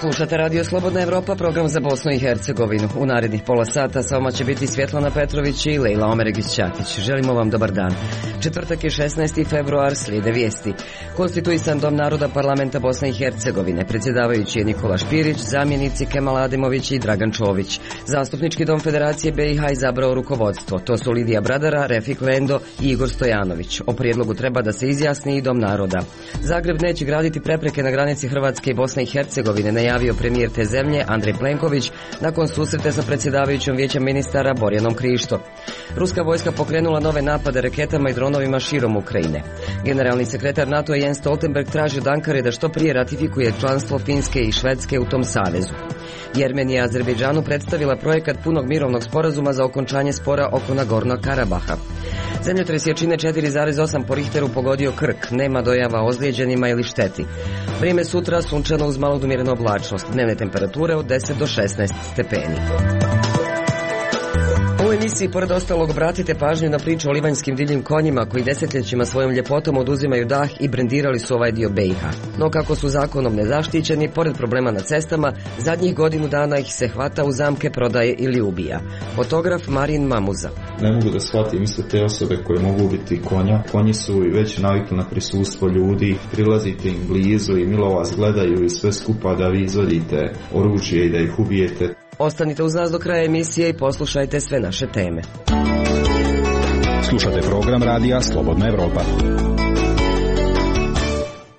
Slušate Radio Slobodna Evropa, program za Bosnu i Hercegovinu. U narednih pola sata sa vama će biti Svjetlana Petrović i Lejla Omeregić-Ćatić. Želimo vam dobar dan. Četvrtak je 16. februar, slijede vijesti. Konstituisan Dom naroda Parlamenta Bosne i Hercegovine. Predsjedavajući je Nikola Špirić, zamjenici Kemal Ademović i Dragan Čović. Zastupnički dom Federacije BiH izabrao rukovodstvo. To su Lidija Bradara, Refik Lendo i Igor Stojanović. O prijedlogu treba da se izjasni i Dom naroda. Zagreb neće graditi prepreke na granici Hrvatske i Bosne i Hercegovine, najavio premijer te zemlje Andrej Plenković nakon susreta sa predsjedavajućom Vijeća ministara Borjanom Krišto. Ruska vojska pokrenula nove napade raketama i dronovima širom Ukrajine. Generalni sekretar NATO Jens Stoltenberg traži od Ankare da što prije ratifikuje članstvo Finske i Švedske u tom savezu. Jermenija je Azerbejdžanu predstavila projekat punog mirovnog sporazuma za okončanje spora oko Nagornog Karabaha. Zemljotres jačine 4,8 po Richteru pogodio Krk, nema dojava ozlijeđenima ili šteti. Vrijeme sutra sunčano uz malo umjerenu oblačnost, dnevne temperature od 10 do 16 stepeni. U emisiji pored ostalog obratite pažnju na priču o livanjskim divljim konjima koji desetljećima svojom ljepotom oduzimaju dah i brendirali su ovaj dio BiH. No kako su zakonom nezaštićeni, pored problema na cestama, zadnjih godinu dana ih se hvata u zamke, prodaje ili ubija. Fotograf Marin Mamuza. Ne mogu da shvatim isto te osobe koje mogu ubiti konja. Konji su već navikli na prisustvo ljudi, prilazite im blizu i milo vas gledaju i sve skupa da vi izvodite oružje i da ih ubijete. Ostanite uz nas do kraja emisije i poslušajte sve naše teme. Slušate program radija Slobodna Evropa.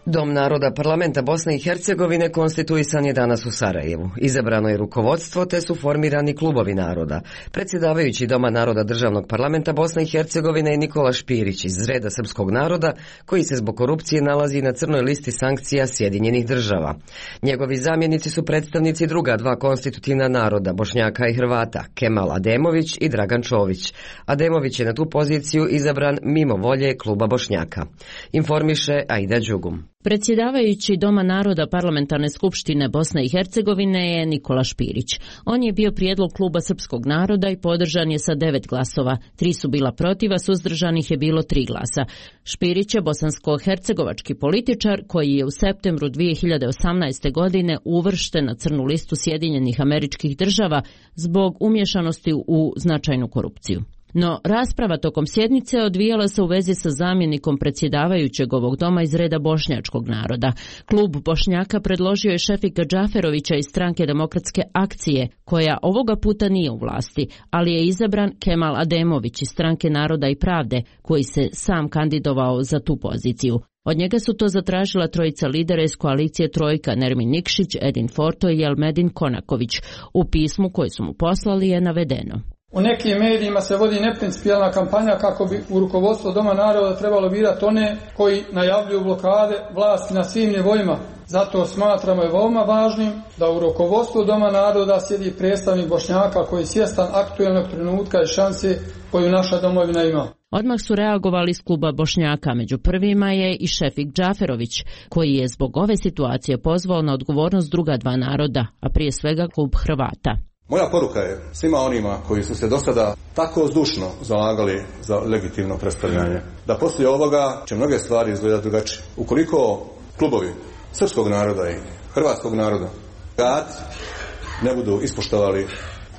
Dom naroda Parlamenta Bosne i Hercegovine konstituisan je danas u Sarajevu. Izabrano je rukovodstvo te su formirani klubovi naroda. Predsjedavajući Doma naroda Državnog parlamenta Bosne i Hercegovine je Nikola Špirić iz reda srpskog naroda koji se zbog korupcije nalazi na crnoj listi sankcija Sjedinjenih država. Njegovi zamjenici su predstavnici druga dva konstitutivna naroda, Bošnjaka i Hrvata, Kemal Ademović i Dragan Čović. Ademović je na tu poziciju izabran mimo volje kluba Bošnjaka. Informiše Aida Đugum. Predsjedavajući Doma naroda Parlamentarne skupštine Bosne i Hercegovine je Nikola Špirić. On je bio prijedlog kluba srpskog naroda i podržan je sa 9 glasova. 3 su bila protiv, a suzdržanih je bilo 3 glasa. Špirić je bosansko-hercegovački političar koji je u septembru 2018. godine uvršten na crnu listu Sjedinjenih Američkih Država zbog umješanosti u značajnu korupciju. No, rasprava tokom sjednice odvijala se u vezi sa zamjenikom predsjedavajućeg ovog doma iz reda bošnjačkog naroda. Klub Bošnjaka predložio je Šefika Džaferovića iz stranke Demokratske akcije, koja ovoga puta nije u vlasti, ali je izabran Kemal Ademović iz stranke Naroda i pravde, koji se sam kandidovao za tu poziciju. Od njega su to zatražila trojica lidera iz koalicije Trojka, Nermin Nikšić, Edin Forto i Elmedin Konaković. U pismu koje su mu poslali je navedeno: U nekim medijima se vodi neprincipijelna kampanja kako bi u rukovodstvo Doma naroda trebalo birati one koji najavljuju blokade vlasti na svim nivoima. Zato smatramo je veoma važnim da u rukovodstvu Doma naroda sjedi predstavnik Bošnjaka koji je svjestan aktuelnog trenutka i šanse koju naša domovina ima. Odmah su reagovali iz kluba Bošnjaka, među prvima je i Šefik Džaferović, koji je zbog ove situacije pozvao na odgovornost druga dva naroda, a prije svega klub Hrvata. Moja poruka je svima onima koji su se do sada tako zdušno zalagali za legitimno predstavljanje, da poslije ovoga će mnoge stvari izgledati drugačije. Ukoliko klubovi srpskog naroda i hrvatskog naroda kad ne budu ispoštovali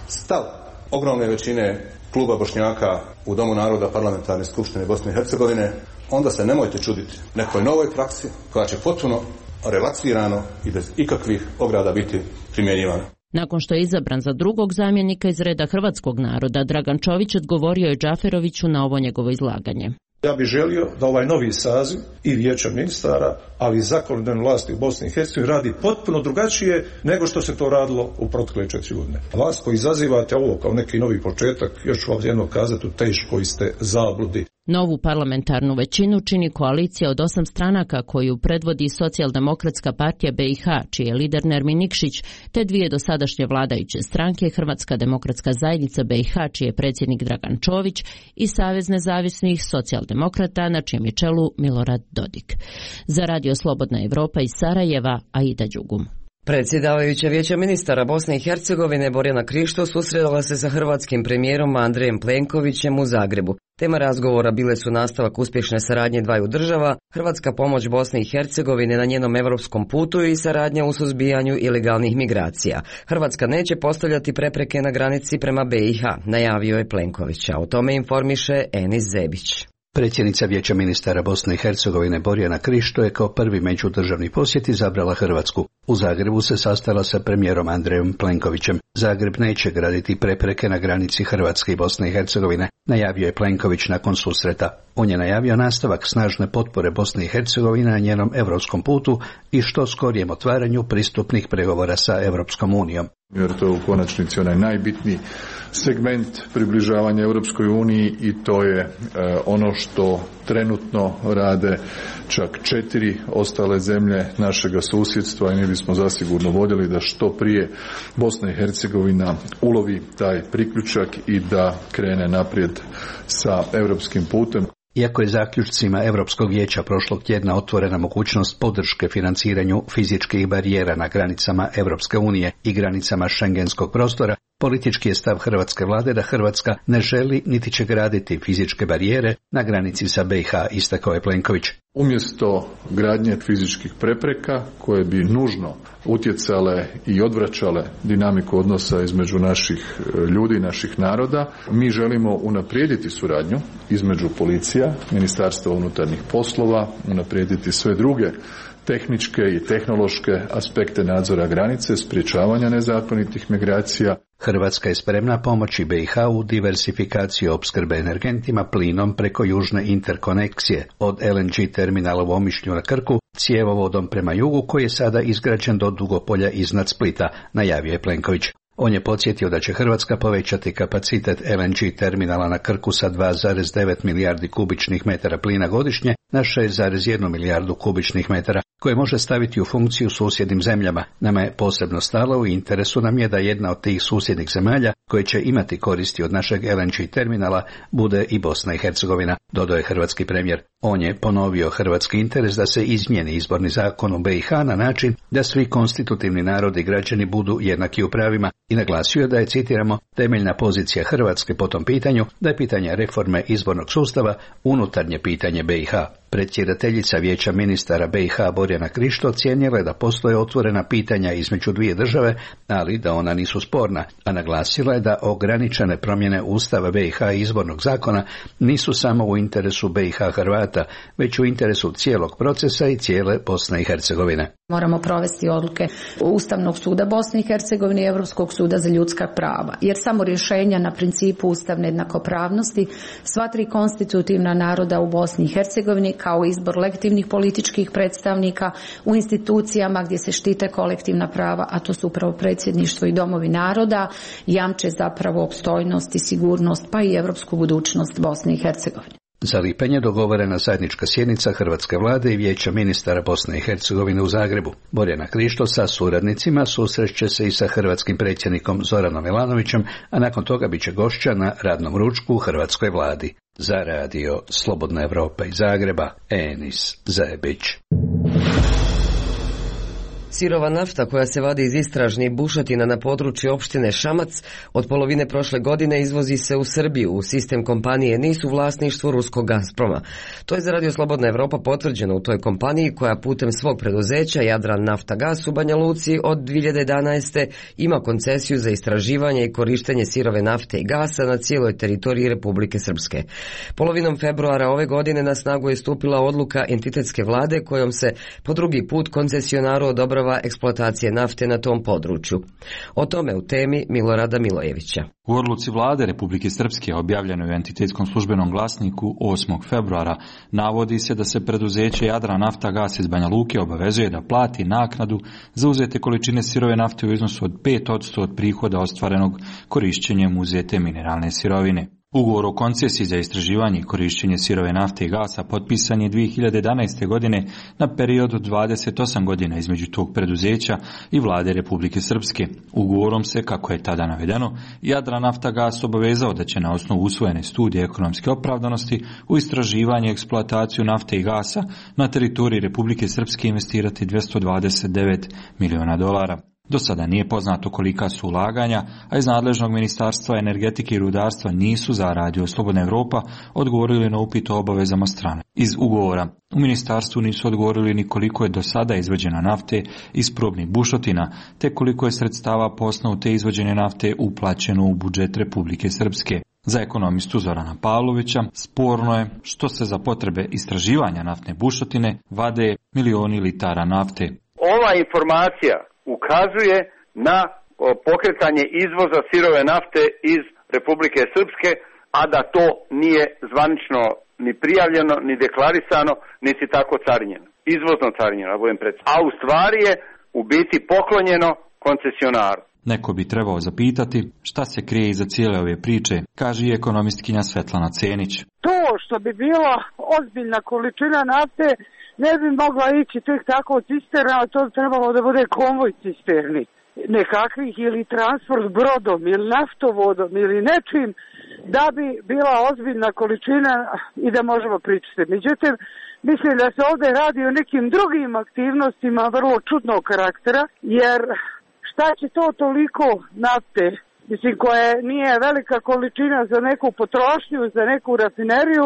stav ogromne većine kluba Bošnjaka u Domu naroda Parlamentarne skupštine Bosne i Hercegovine, onda se nemojte čuditi nekoj novoj praksi koja će potpuno relaksirano i bez ikakvih ograda biti primjenjivana. Nakon što je izabran za drugog zamjenika iz reda hrvatskog naroda, Dragan Čović odgovorio je Džaferoviću na ovo njegovo izlaganje. Ja bih želio da ovaj novi saziv i Vijeća ministara, ali i zakonodavne vlasti u Bosni i Hercegovini radi potpuno drugačije nego što se to radilo u protekle 4 godine. Vas koji izazivate ovo kao neki novi početak, još ću vam jedno kazati, u teškoj ste zabludi. Novu parlamentarnu većinu čini koalicija od 8 stranaka koju predvodi Socijaldemokratska partija BiH, čiji je lider Nermin Nikšić, te dvije dosadašnje vladajuće stranke, Hrvatska demokratska zajednica BiH, čiji je predsjednik Dragan Čović, i Savez nezavisnih socijaldemokrata, na čijem je čelu Milorad Dodik. Za Radio Slobodna Evropa iz Sarajeva, Aida Đugum. Predsjedavajuća Vijeća ministara Bosne i Hercegovine Borjana Krišto susretala se sa hrvatskim premijerom Andrejem Plenkovićem u Zagrebu. Tema razgovora bile su nastavak uspješne saradnje dvaju država, hrvatska pomoć Bosne i Hercegovine na njenom europskom putu i saradnja u suzbijanju ilegalnih migracija. Hrvatska neće postavljati prepreke na granici prema BiH, najavio je Plenković, a o tome informiše Enis Zebić. Predsjednica Vijeća ministara Bosne i Hercegovine Borjana Krišto je kao prvi međudržavni posjet izabrala Hrvatsku. U Zagrebu se sastala sa premijerom Andrejom Plenkovićem. Zagreb neće graditi prepreke na granici Hrvatske i Bosne i Hercegovine, najavio je Plenković nakon susreta. On je najavio nastavak snažne potpore Bosne i Hercegovine na njenom europskom putu i što skorijem otvaranju pristupnih pregovora sa Europskom unijom. Jer to je u konačnici onaj najbitniji segment približavanja Europskoj uniji i to je ono što trenutno rade čak 4 ostale zemlje našega susjedstva i mi bismo zasigurno voljeli da što prije Bosna i Hercegovina ulovi taj priključak i da krene naprijed sa europskim putem. Iako je zaključcima Europskog vijeća prošlog tjedna otvorena mogućnost podrške financiranju fizičkih barijera na granicama Europske unije i granicama šengenskog prostora, politički je stav hrvatske vlade da Hrvatska ne želi niti će graditi fizičke barijere na granici sa BiH, istakao je Plenković. Umjesto gradnje fizičkih prepreka koje bi nužno utjecale i odvraćale dinamiku odnosa između naših ljudi, naših naroda, mi želimo unaprijediti suradnju između policija, Ministarstva unutarnjih poslova, unaprijediti sve druge tehničke i tehnološke aspekte nadzora granice, sprječavanja nezakonitih migracija. Hrvatska je spremna pomoći BiH u diversifikaciji opskrbe energentima plinom preko južne interkonekcije od LNG terminala u Omišlju na Krku, cjevovodom prema jugu koji je sada izgrađen do Dugopolja iznad Splita, najavio je Plenković. On je podsjetio da će Hrvatska povećati kapacitet LNG terminala na Krku sa 2,9 milijardi kubičnih metara plina godišnje na 6,1 milijardu kubičnih metara, koje može staviti u funkciju susjednim zemljama. Nama je posebno stalo i interesu nam je da jedna od tih susjednih zemalja koje će imati koristi od našeg LNG terminala bude i Bosna i Hercegovina, dodao je hrvatski premijer. On je ponovio hrvatski interes da se izmijeni izborni zakon u BiH na način da svi konstitutivni narodi i građani budu jednaki u pravima i naglasio da je, citiramo, temeljna pozicija Hrvatske po tom pitanju da je pitanje reforme izbornog sustava unutarnje pitanje BiH. Predsjedateljica Vijeća ministara BiH Borjana Krišto ocijenila je da postoje otvorena pitanja između dvije države, ali da ona nisu sporna, a naglasila je da ograničene promjene Ustava BiH i izbornog zakona nisu samo u interesu BiH Hrvata, već u interesu cijelog procesa i cijele Bosne i Hercegovine. Moramo provesti odluke Ustavnog suda Bosne i Hercegovine i Europskog suda za ljudska prava, jer samo rješenja na principu ustavne jednakopravnosti sva tri konstitutivna naroda u Bosni i Hercegovini kao izbor legitimnih političkih predstavnika u institucijama gdje se štite kolektivna prava, a to su upravo predsjedništvo i domovi naroda, jamče zapravo opstojnost i sigurnost pa i europsku budućnost Bosne i Hercegovine. Za lipanj je dogovorena zajednička sjednica hrvatske vlade i Vijeća ministara Bosne i Hercegovine u Zagrebu. Borjana Krišto sa suradnicima susreće se i sa hrvatskim predsjednikom Zoranom Milanovićem, a nakon toga bit će gošća na radnom ručku u hrvatskoj vladi. Za radio Slobodna Evropa iz Zagreba, Enis Zebić. Sirova nafta koja se vadi iz istražnih bušotina na području opštine Šamac od polovine prošle godine izvozi se u Srbiju u sistem kompanije NIS u vlasništvu ruskog Gazproma. To je za radio Slobodna Evropa potvrđeno u toj kompaniji koja putem svog preduzeća Jadran Nafta Gas u Banja Luci od 2011. ima koncesiju za istraživanje i korištenje sirove nafte i gasa na cijeloj teritoriji Republike Srpske. Polovinom februara ove godine na snagu je stupila odluka entitetske vlade kojom se po drugi put koncesionaru odobrava eksploatacije nafte na tom području. O tome u temi Milorada Milojevića. U odluci vlade Republike Srpske objavljenoj u entitetskom službenom glasniku 8. februara navodi se da se preduzeće Jadran Nafta Gas iz Banja Luke obavezuje da plati naknadu za uzete količine sirove nafte u iznosu od 5% od prihoda ostvarenog korišćenjem uzete mineralne sirovine. Ugovor o koncesiji za istraživanje i korišćenje sirove nafte i gasa potpisan je 2011. godine na period od 28 godina između tog preduzeća i vlade Republike Srpske. Ugovorom se, kako je tada navedeno, Jadran Nafta Gas obavezao da će na osnovu usvojene studije ekonomske opravdanosti u istraživanje i eksploataciju nafte i gasa na teritoriji Republike Srpske investirati $229 miliona. Do sada nije poznato kolika su ulaganja, a iz nadležnog ministarstva energetike i rudarstva nisu za Radio Slobodna Evropa odgovorili na upit o obavezama strane. Iz ugovora u ministarstvu nisu odgovorili ni koliko je do sada izvađena nafte iz probnih bušotina, te koliko je sredstava po osnovu te izvađene nafte uplaćeno u budžet Republike Srpske. Za ekonomistu Zorana Pavlovića sporno je što se za potrebe istraživanja naftne bušotine vade milioni litara nafte. Ova informacija ukazuje na pokretanje izvoza sirove nafte iz Republike Srpske, a da to nije zvanično ni prijavljeno, ni deklarisano, niti tako carinjeno. Izvozno carinjeno, da budem precizan. A u stvari je u biti poklonjeno koncesionaru. Neko bi trebao zapitati šta se krije iza cijele ove priče, kaže i ekonomistkinja Svetlana Cenić. To što bi bila ozbiljna količina nafte ne bi mogla ići tek tako cisterna, to bi trebalo da bude konvoj cisterni. Nekakvih ili transport brodom ili naftovodom ili nečim da bi bila ozbiljna količina i da možemo pričati. Međutim, mislim da se ovdje radi o nekim drugim aktivnostima vrlo čudnog karaktera, jer šta će to toliko nafte, mislim, koje nije velika količina za neku potrošnju, za neku rafineriju,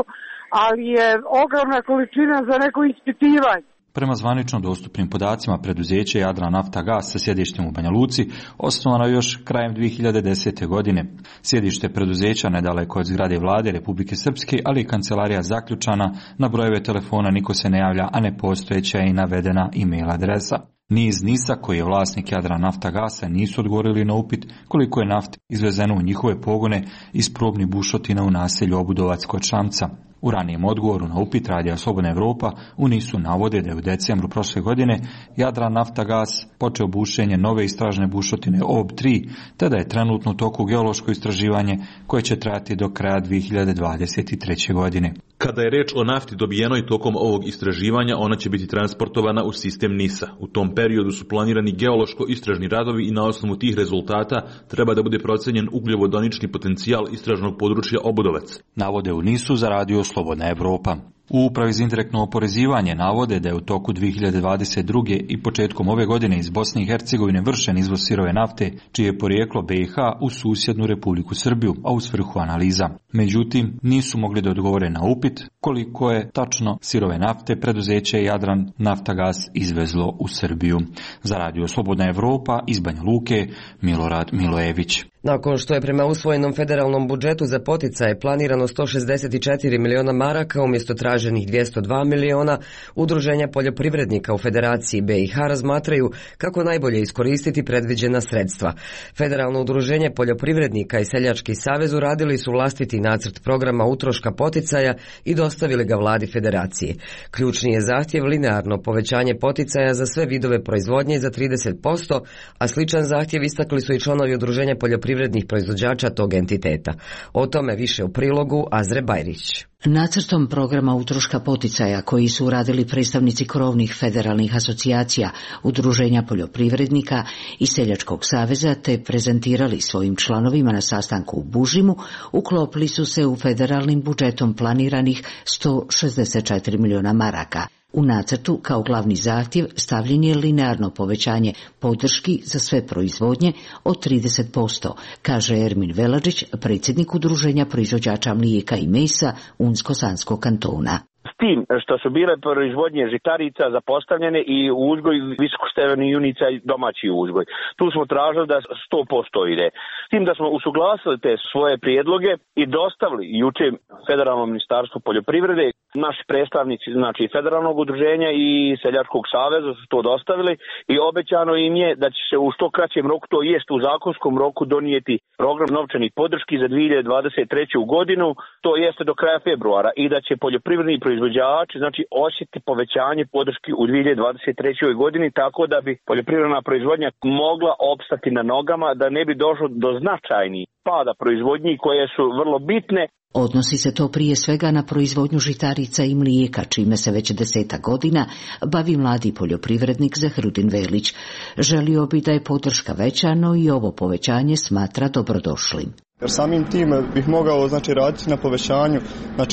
ali je ogromna količina za neko ispitivanje. Prema zvanično dostupnim podacima preduzeće Jadran-Naftagas sa sjedištem u Banja Luci osnovano je još krajem 2010. godine. Sjedište preduzeća nedaleko od zgrade vlade Republike Srpske, ali i kancelarija zaključana, na brojeve telefona niko se ne javlja, a nepostojeća je i navedena e-mail adresa. Ni iz NIS-a, koji je vlasnik Jadran-Naftagasa, nisu odgovorili na upit koliko je nafte izvezeno u njihove pogone iz probnih bušotina u naselju Obudovac kod Šamca. U ranijem odgovoru na upit Radija Slobodna Evropa u NIS-u navode da je u decembru prošle godine Jadran-Naftagas počeo bušenje nove istražne bušotine OB3, te da je trenutno u toku geološko istraživanje koje će trajati do kraja 2023. godine. Kada je reč o nafti dobijenoj tokom ovog istraživanja, ona će biti transportovana u sistem NIS-a. U tom periodu su planirani geološko-istražni radovi i na osnovu tih rezultata treba da bude procenjen ugljovodonični potencijal istražnog područja Obudovac. Navode u NIS-u za Radio Slobodna Evropa. U Upravi za indirektno oporezivanje navode da je u toku 2022. i početkom ove godine iz Bosne i Hercegovine vršen izvoz sirove nafte, čije je porijeklo BiH u susjednu Republiku Srbiju, a u svrhu analiza. Međutim, nisu mogli da odgovore na upit koliko je tačno sirove nafte preduzeće Jadran-Naftagas izvezlo u Srbiju. Za Radio Slobodna Evropa iz Banja Luke, Milorad Milojević. Nakon što je prema usvojenom federalnom budžetu za poticaje planirano 164 miliona maraka umjesto traženih 202 miliona, udruženja poljoprivrednika u Federaciji BiH razmatraju kako najbolje iskoristiti predviđena sredstva. Federalno udruženje poljoprivrednika i Seljački savez uradili su vlastiti nacrt programa utroška poticaja i dostavili ga vladi Federacije. Ključni je zahtjev linearno povećanje poticaja za sve vidove proizvodnje za 30%, a sličan zahtjev istakli su i članovi udruženja poljoprivrednih proizvođača tog entiteta. O tome više u prilogu Azre Bajrić. Nacrtom programa utroška poticaja koji su uradili predstavnici krovnih federalnih asocijacija, udruženja poljoprivrednika i Seljačkog saveza te prezentirali svojim članovima na sastanku u Bužimu, uklopili su se u federalnim budžetom planiranih 164 miliona maraka. U nacrtu kao glavni zahtjev stavljen je linearno povećanje podrški za sve proizvodnje od 30%, kaže Ermin Veladžić, predsjednik udruženja proizvođača mlijeka i mesa Unsko-Sanskog kantona. S tim što su bile proizvodnje žitarica zapostavljene i uzgoj visokostepenih junica i domaći uzgoj. Tu smo tražili da 100% ide. S tim da smo usuglasili te svoje prijedloge i dostavili juče Federalnom ministarstvu poljoprivrede. Naši predstavnici, znači federalnog udruženja i Seljačkog saveza su to dostavili i obećano im je da će se u što kraćem roku, to jest u zakonskom roku, donijeti program novčanih podrški za 2023. godinu, to jeste do kraja februara, i da će poljoprivredni proizvođači znači osjetiti povećanje podrški u 2023. godini, tako da bi poljoprivredna proizvodnja mogla opstati na nogama, da ne bi došlo do značajnih pada proizvodnji koje su vrlo bitne. Odnosi se to prije svega na proizvodnju žitarica i mlijeka, čime se već 10 godina bavi mladi poljoprivrednik Zahrudin Velić. Želio bi da je podrška veća, no i ovo povećanje smatra dobrodošlim. Jer samim tim bih mogao raditi na povećanju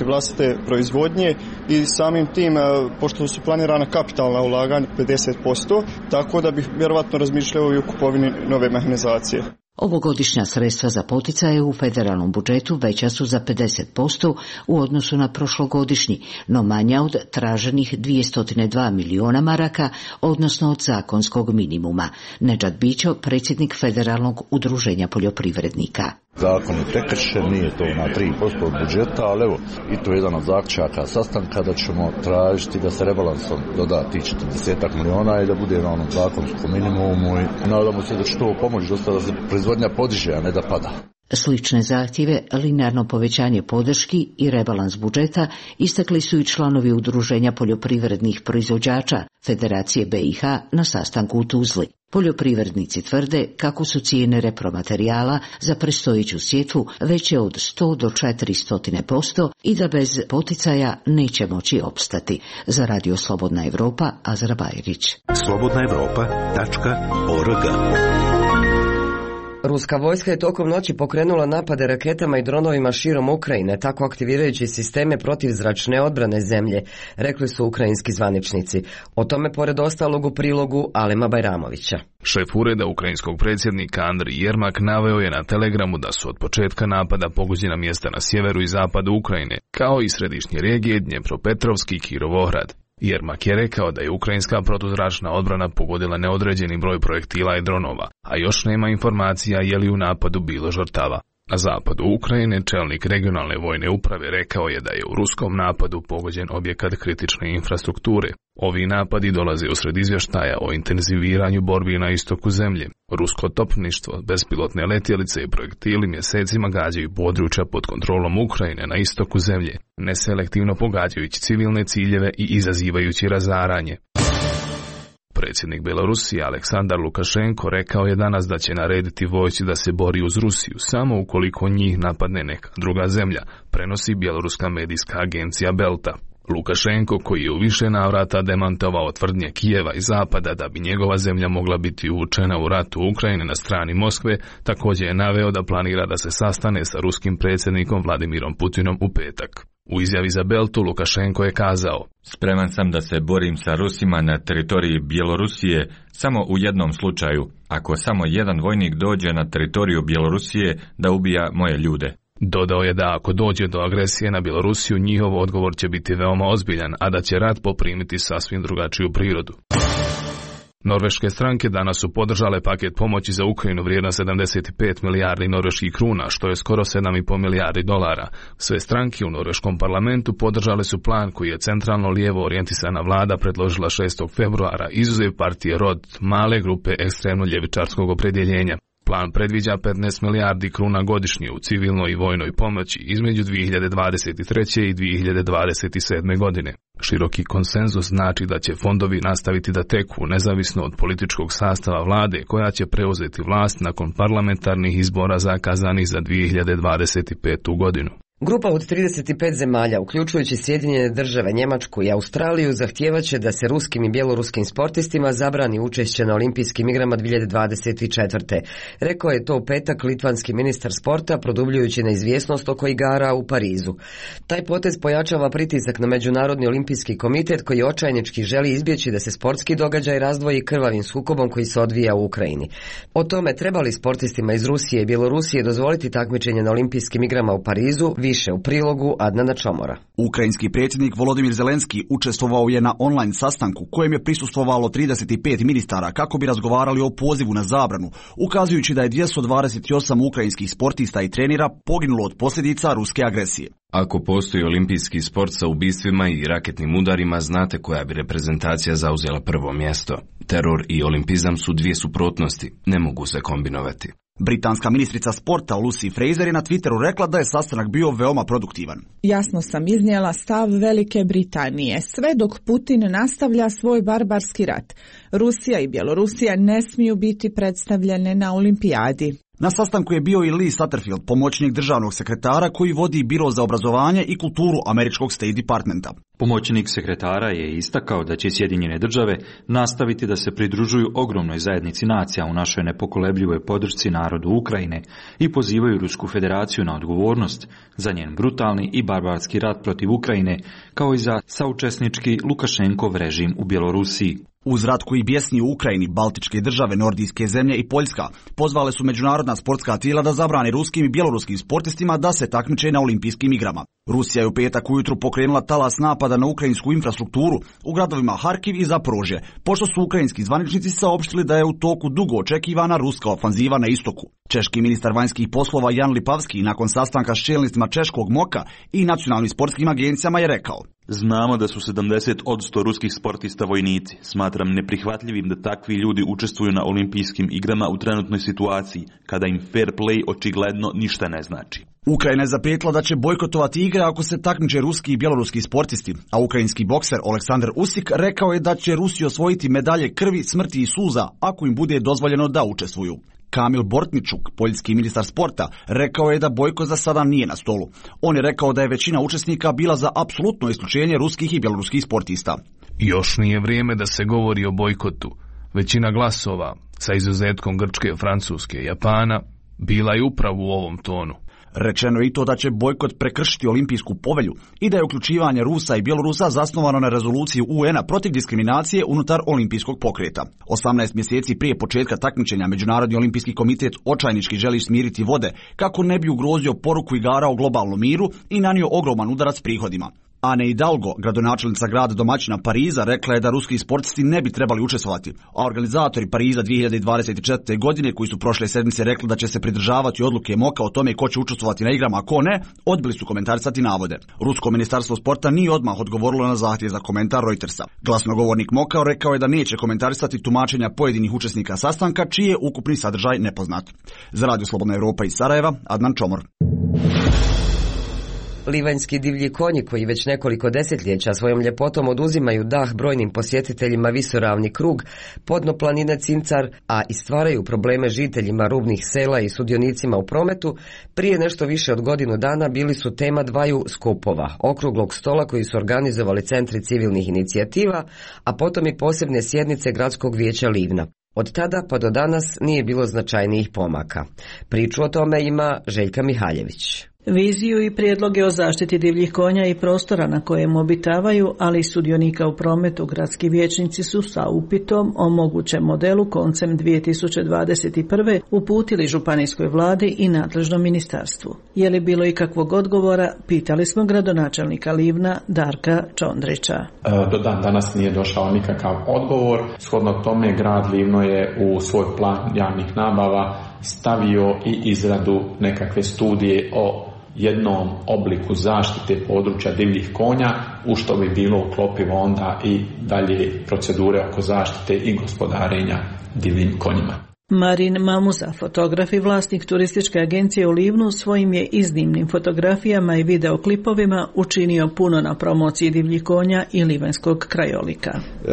vlastite proizvodnje i samim tim, pošto su planirana kapitalna ulaganja 50%, tako da bih vjerovatno razmišljao i o kupovini nove mehanizacije. Ovogodišnja sredstva za poticaje u federalnom budžetu veća su za 50% u odnosu na prošlogodišnji, no manja od traženih 202 miliona maraka, odnosno od zakonskog minimuma. Nedžad Bićo, predsjednik Federalnog udruženja poljoprivrednika. Zakon je prekršen, nije to na 3% od budžeta, ali evo, i to je jedan od zaključaka sastanka da ćemo tražiti da se rebalansom doda tih 40 miliona i da bude na onom zakonskom minimumu i nadamo se da će to pomoći dosta da se proizvodnja podiže, a ne da pada. Slične zahtjeve, linearno povećanje podrški i rebalans budžeta istakli su i članovi Udruženja poljoprivrednih proizvođača Federacije BiH na sastanku u Tuzli. Poljoprivrednici tvrde kako su cijene repromaterijala za predstojeću sjetvu veće od 100 do 400% i da bez poticaja neće moći opstati. Za Radio Slobodna Evropa, Azra Bajrić. slobodnaevropa.org. Ruska vojska je tokom noći pokrenula napade raketama i dronovima širom Ukrajine, tako aktivirajući sisteme protivzračne odbrane zemlje, rekli su ukrajinski zvaničnici. O tome pored ostalog u prilogu Alema Bajramovića. Šef ureda ukrajinskog predsjednika Andrij Jermak naveo je na Telegramu da su od početka napada pogođena mjesta na sjeveru i zapadu Ukrajine, kao i središnje regije Dnjepropetrovski i Kirovohrad. Jermak je rekao da je ukrajinska protuzračna odbrana pogodila neodređeni broj projektila i dronova, a još nema informacija je li u napadu bilo žrtava. Na zapadu Ukrajine čelnik regionalne vojne uprave rekao je da je u ruskom napadu pogođen objekat kritične infrastrukture. Ovi napadi dolaze usred izvještaja o intenziviranju borbi na istoku zemlje. Rusko topništvo, bespilotne letjelice i projektili mjesecima gađaju područja pod kontrolom Ukrajine na istoku zemlje, neselektivno pogađajući civilne ciljeve i izazivajući razaranje. Predsjednik Belorusije Aleksandar Lukašenko rekao je danas da će narediti vojsci da se bori uz Rusiju samo ukoliko njih napadne neka druga zemlja, prenosi bjeloruska medijska agencija Belta. Lukašenko, koji je u više navrata demantovao tvrdnje Kijeva i Zapada da bi njegova zemlja mogla biti uvučena u rat u Ukrajini na strani Moskve, također je naveo da planira da se sastane sa ruskim predsjednikom Vladimirom Putinom u petak. U izjavi za Beltu Lukašenko je kazao: "Spreman sam da se borim sa Rusima na teritoriji Bjelorusije samo u jednom slučaju, ako samo jedan vojnik dođe na teritoriju Bjelorusije da ubija moje ljude." Dodao je da ako dođe do agresije na Bjelorusiju, njihov odgovor će biti veoma ozbiljan, a da će rat poprimiti sasvim drugačiju prirodu. Norveške stranke danas su podržale paket pomoći za Ukrajinu vrijedan 75 milijardi norveških kruna, što je skoro 7,5 milijardi dolara. Sve stranke u norveškom parlamentu podržale su plan koji je centralno lijevo orijentisana vlada predložila 6. februara, izuzev partije Rod, male grupe ekstremno ljevičarskog opredjeljenja. Plan predviđa 15 milijardi kruna godišnje u civilnoj i vojnoj pomoći između 2023. i 2027. godine. Široki konsenzus znači da će fondovi nastaviti da teku nezavisno od političkog sastava vlade koja će preuzeti vlast nakon parlamentarnih izbora zakazanih za 2025. godinu. Grupa od 35 zemalja, uključujući Sjedinjene države, Njemačku i Australiju, zahtijevaće da se ruskim i bjeloruskim sportistima zabrani učešće na olimpijskim igrama 2024. Rekao je to u petak litvanski ministar sporta, produbljujući neizvjesnost oko igara u Parizu. Taj potez pojačava pritisak na Međunarodni olimpijski komitet koji očajnički želi izbjeći da se sportski događaj razdvoji krvavim sukobom koji se odvija u Ukrajini. O tome treba li sportistima iz Rusije i Bjelorusije dozvoliti takmičenje na olimpijskim igrama u Parizu, više u prilogu Adnana Čomora. Ukrajinski predsjednik Volodimir Zelenski učestvovao je na online sastanku kojem je prisustvovalo 35 ministara kako bi razgovarali o pozivu na zabranu, ukazujući da je 228 ukrajinskih sportista i trenera poginulo od posljedica ruske agresije. Ako postoji olimpijski sport sa ubistvima i raketnim udarima, znate koja bi reprezentacija zauzela prvo mjesto. Teror i olimpizam su dvije suprotnosti, ne mogu se kombinovati. Britanska ministrica sporta Lucy Fraser je na Twitteru rekla da je sastanak bio veoma produktivan. Jasno sam iznijela stav Velike Britanije, sve dok Putin nastavlja svoj barbarski rat. Rusija i Bjelorusija ne smiju biti predstavljene na olimpijadi. Na sastanku je bio i Lee Satterfield, pomoćnik državnog sekretara koji vodi Biro za obrazovanje i kulturu američkog State Departmenta. Pomoćnik sekretara je istakao da će Sjedinjene države nastaviti da se pridružuju ogromnoj zajednici nacija u našoj nepokolebljivoj podršci narodu Ukrajine i pozivaju Rusku federaciju na odgovornost za njen brutalni i barbarski rat protiv Ukrajine, kao i za saučesnički Lukašenkov režim u Bjelorusiji. Uz rat koji bjesni u Ukrajini, baltičke države, nordijske zemlje i Poljska pozvale su međunarodna sportska tijela da zabrane ruskim i bjeloruskim sportistima da se takmiče na olimpijskim igrama. Rusija je u petak ujutru pokrenula talas napada na ukrajinsku infrastrukturu u gradovima Harkiv i Zaporožje, pošto su ukrajinski zvaničnici saopštili da je u toku dugo očekivana ruska ofanziva na istoku. Češki ministar vanjskih poslova Jan Lipavski nakon sastanka s čelnicima češkog MOK-a i nacionalnim sportskim agencijama je rekao: Znamo da su 70% ruskih sportista vojnici. Smatram neprihvatljivim da takvi ljudi učestvuju na olimpijskim igrama u trenutnoj situaciji, kada im fair play očigledno ništa ne znači. Ukrajina je zaprijetila da će bojkotovati igre ako se takmiče ruski i bjeloruski sportisti, a ukrajinski bokser Oleksandar Usik rekao je da će Rusi osvojiti medalje krvi, smrti i suza ako im bude dozvoljeno da učestvuju. Kamil Bortničuk, poljski ministar sporta, rekao je da bojkot za sada nije na stolu. On je rekao da je većina učesnika bila za apsolutno isključenje ruskih i bjeloruskih sportista. Još nije vrijeme da se govori o bojkotu. Većina glasova, sa izuzetkom Grčke, Francuske i Japana, bila je upravo u ovom tonu. Rečeno je i to da će bojkot prekršiti olimpijsku povelju i da je uključivanje Rusa i Bjelorusa zasnovano na rezoluciji UN-a protiv diskriminacije unutar olimpijskog pokreta. 18 mjeseci prije početka takmičenja Međunarodni olimpijski komitet očajnički želi smiriti vode kako ne bi ugrozio poruku igara o globalnom miru i nanio ogroman udarac prihodima. Anne Hidalgo, gradonačelnica grada domaćina Pariza, rekla je da ruski sportisti ne bi trebali učestvovati, a organizatori Pariza 2024. godine, koji su prošle sedmice rekli da će se pridržavati odluke MOK-a o tome ko će učestvovati na igrama, a ko ne, odbili su komentarisati navode. Rusko ministarstvo sporta nije odmah odgovorilo na zahtjev za komentar Reutersa. Glasnogovornik MOK-a rekao je da neće komentarisati tumačenja pojedinih učesnika sastanka, čiji je ukupni sadržaj nepoznat. Za Radio Slobodna Europa iz Sarajeva, Adnan Čomor. Livanjski divlji konji koji već nekoliko desetljeća svojom ljepotom oduzimaju dah brojnim posjetiteljima visoravni krug, podno planine Cincar, a i stvaraju probleme žiteljima rubnih sela i sudionicima u prometu, prije nešto više od godinu dana bili su tema dvaju skupova, okruglog stola koji su organizovali centri civilnih inicijativa, a potom i posebne sjednice Gradskog vijeća Livna. Od tada pa do danas nije bilo značajnijih pomaka. Priču o tome ima Željka Mihaljević. Viziju i prijedloge o zaštiti divljih konja i prostora na kojem obitavaju, ali i sudionika u prometu, gradski vijećnici su sa upitom o mogućem modelu koncem 2021. uputili županijskoj vladi i nadležnom ministarstvu. Je li bilo ikakvog odgovora, pitali smo gradonačelnika Livna Darka Čondrića. Do dan danas nije došao nikakav odgovor. Shodno tome grad Livno je u svoj plan javnih nabava stavio i izradu nekakve studije o jednom obliku zaštite područja divljih konja, u što bi bilo uklopivo onda i dalje procedure oko zaštite i gospodarenja divljim konjima. Marin Mamuza, fotograf i vlasnik turističke agencije u Livnu, svojim je iznimnim fotografijama i videoklipovima učinio puno na promociji divljih konja i livanjskog krajolika.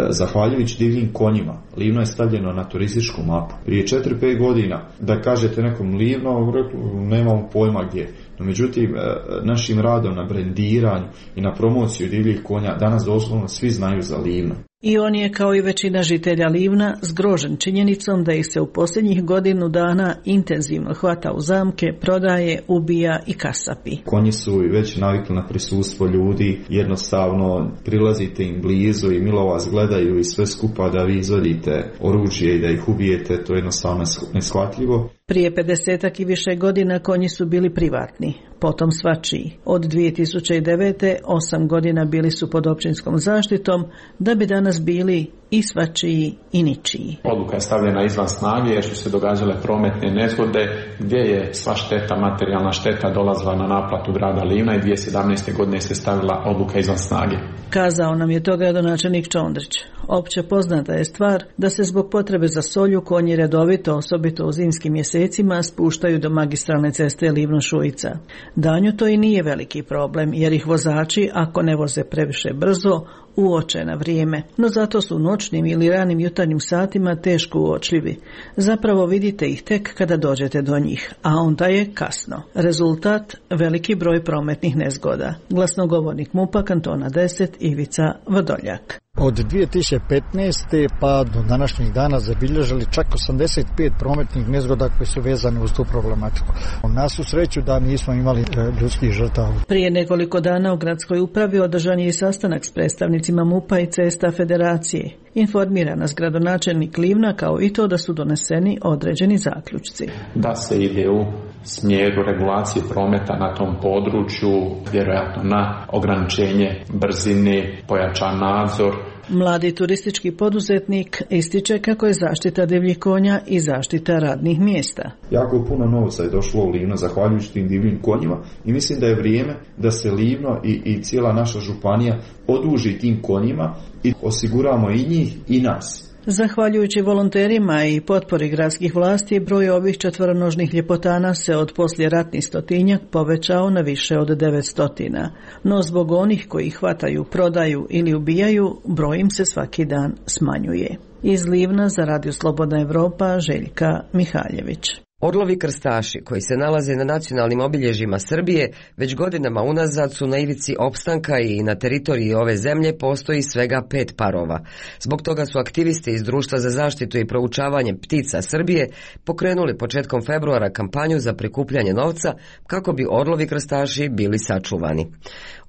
Zahvaljujući divljim konjima, Livno je stavljeno na turističku mapu. Prije 4-5 godina, da kažete nekom Livno, nemamo pojma gdje. No, međutim, našim radom na brendiranju i na promociju divljih konja danas doslovno svi znaju za Livno. I on je, kao i većina žitelja Livna, zgrožen činjenicom da ih se u posljednjih godinu dana intenzivno hvata u zamke, prodaje, ubija i kasapi. Konji su već navikli na prisustvo ljudi, jednostavno prilazite im blizu i milo vas gledaju i sve skupa da vi izvodite oružje i da ih ubijete, to je jednostavno neshvatljivo. Prije 50 i više godina konji su bili privatni, potom svačiji. Od 2009. 8 godina bili su pod općinskom zaštitom, da bi danas bili i svačiji i ničiji. Odluka je stavljena izvan snage jer su se događale prometne nezgode gdje je sva šteta, materijalna šteta dolazila na naplatu grada Livna i 2017. godine se stavila odluka izvan snage. Kazao nam je to gradonačelnik Čondrić. opće poznata je stvar da se zbog potrebe za solju konji redovito, osobito u zimskim mjesecima, spuštaju do magistralne ceste Livno-Šujica. Danju to i nije veliki problem, jer ih vozači, ako ne voze previše brzo, uoče na vrijeme, no zato su u noćnim ili ranim jutarnjim satima teško uočljivi. Zapravo vidite ih tek kada dođete do njih, a onda je kasno. Rezultat, veliki broj prometnih nezgoda. Glasnogovornik MUP-a kantona 10 Ivica Vrdoljak. Od 2015. pa do današnjih dana zabilježili čak 85 prometnih nezgoda koje su vezane uz tu problematiku. Na svu sreću da nismo imali ljudskih žrtava. Prije nekoliko dana u gradskoj upravi održan je i sastanak s predstavnicima MUP-a i Cesta Federacije. Informira nas gradonačelnik Livna kao i to da su doneseni određeni zaključci. Da se ide u smjeru regulacije prometa na tom području, vjerojatno na ograničenje brzine, pojačan nadzor. Mladi turistički poduzetnik ističe kako je zaštita divljih konja i zaštita radnih mjesta. Jako puno novca je došlo u Livno zahvaljujući tim divljim konjima i mislim da je vrijeme da se Livno i cijela naša županija oduži tim konjima i osiguramo i njih i nas. Zahvaljujući volonterima i potpori gradskih vlasti, broj ovih četvoronožnih ljepotana se od poslijeratnih stotinjak povećao na više od 900. No zbog onih koji hvataju, prodaju ili ubijaju, broj im se svaki dan smanjuje. Iz Livna za Radio Slobodna Evropa, Željka Mihaljević. Orlovi krstaši koji se nalaze na nacionalnim obilježjima Srbije već godinama unazad su na ivici opstanka i na teritoriji ove zemlje postoji svega 5 parova. Zbog toga su aktivisti iz Društva za zaštitu i proučavanje ptica Srbije pokrenuli početkom februara kampanju za prikupljanje novca kako bi orlovi krstaši bili sačuvani.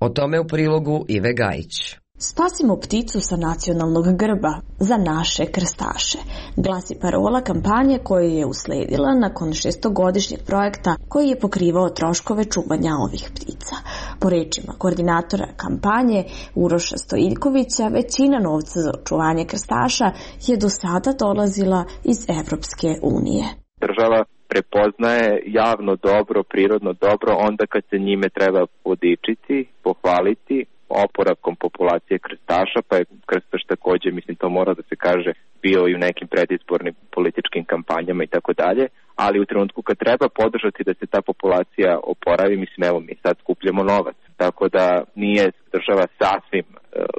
O tome u prilogu Ive Gajić. Spasimo pticu sa nacionalnog grba za naše krstaše. Glasi parola kampanje koja je usledila nakon 6-godišnjeg projekta koji je pokrivao troškove čuvanja ovih ptica. Po rečima koordinatora kampanje Uroša Stojiljkovića, većina novca za očuvanje krstaša je do sada dolazila iz Evropske unije. Država prepoznaje javno dobro, prirodno dobro onda kad se njime treba podičiti, pohvaliti, oporavkom populacije krstaša, pa je krstaš također, mislim to mora da se kaže, bio i u nekim predizbornim političkim kampanjama i tako dalje, ali u trenutku kad treba podržati da se ta populacija oporavi, mislim evo mi sad skupljamo novac, tako da nije država sasvim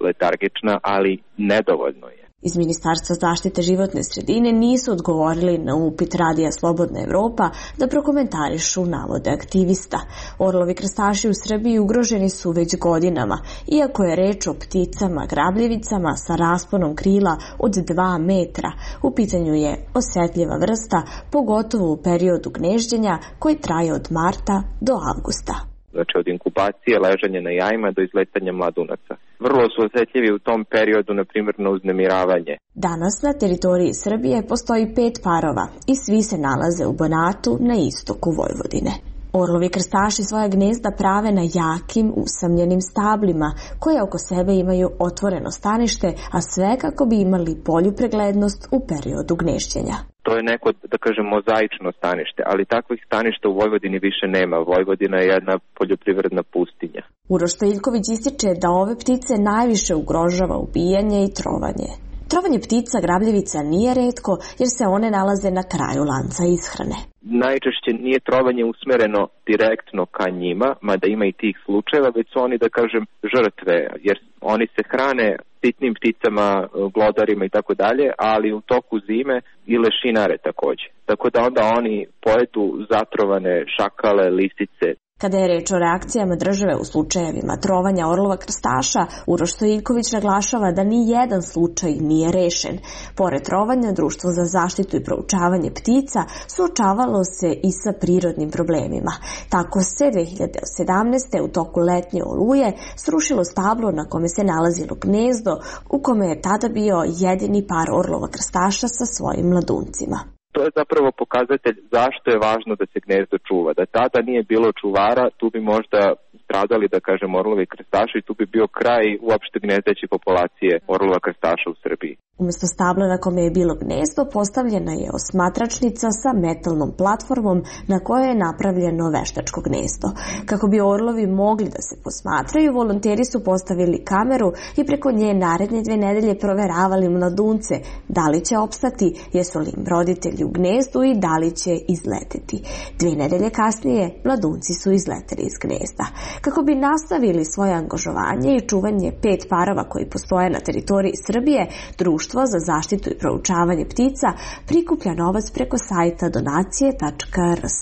letargična, ali nedovoljno je. Iz Ministarstva zaštite životne sredine nisu odgovorili na upit Radija Slobodna Evropa da prokomentarišu navode aktivista. Orlovi krstaši u Srbiji ugroženi su već godinama, iako je reč o pticama grabljevicama sa rasponom krila od 2 metra. U pitanju je osjetljiva vrsta, pogotovo u periodu gnježđenja koji traje od marta do avgusta. Znači od inkubacije, ležanja na jajima do izletanja mladunaca. Vrlo su osjetljivi u tom periodu, na primjer, na uznemiravanje. Danas na teritoriji Srbije postoji 5 parova i svi se nalaze u Banatu na istoku Vojvodine. Orlovi krstaši svoja gnezda prave na jakim, usamljenim stablima, koje oko sebe imaju otvoreno stanište, a sve kako bi imali bolju preglednost u periodu gnješđenja. To je neko, da kažem, mozaično stanište, ali takvih staništa u Vojvodini više nema. Vojvodina je jedna poljoprivredna pustinja. Uroš Stojiljković ističe da ove ptice najviše ugrožava ubijanje i trovanje. Trovanje ptica grabljevica nije retko jer se one nalaze na kraju lanca ishrane. Najčešće nije trovanje usmereno direktno ka njima, mada ima i tih slučajeva, već su oni, da kažem, žrtve, jer oni se hrane sitnim pticama, glodarima i tako dalje, ali u toku zime i lešinare također. Tako da onda oni pojedu zatrovane šakale, lisice. Kada je reč o reakcijama države u slučajevima trovanja orlova krstaša, Uroš Stojiljković naglašava da ni jedan slučaj nije rešen. Pored trovanja, Društvo za zaštitu i proučavanje ptica suočavalo se i sa prirodnim problemima. Tako se 2017. u toku letnje oluje srušilo stablo na kome se nalazilo gnezdo, u kome je tada bio jedini par orlova krstaša sa svojim mladuncima. To je zapravo pokazatelj zašto je važno da se gnezdo čuva. Da tada nije bilo čuvara, tu bi možda stradali, da kažem, orlovi krstaši i tu bi bio kraj uopšte gnezdeće populacije orlova krstaša u Srbiji. Umjesto stabla na kome je bilo gnezdo, postavljena je osmatračnica sa metalnom platformom na kojoj je napravljeno veštačko gnezdo. Kako bi orlovi mogli da se posmatraju, volonteri su postavili kameru i preko nje naredne 2 nedelje proveravali mladunce da li će opstati, jesu li im roditelji u gnezdu i da li će izleteti. 2 nedelje kasnije mladunci su izleteli iz gnezda. Kako bi nastavili svoje angažovanje i čuvanje 5 parova koji postoje na teritoriji Srbije, Društvo za zaštitu i proučavanje ptica prikuplja novac preko sajta donacije.rs.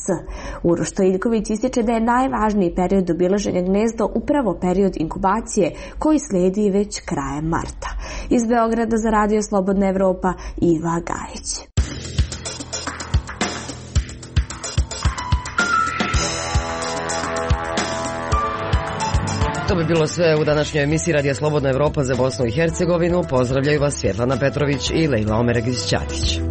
Uroš Stojiljković ističe da je najvažniji period obilaženja gnezda upravo period inkubacije koji sledi već krajem marta. Iz Beograda za Radio Slobodna Evropa, Iva Gajić. To bi bilo sve u današnjoj emisiji Radija Slobodna Evropa za Bosnu i Hercegovinu. Pozdravljaju vas Svjetlana Petrović i Lejla Omeregić-Ćatić.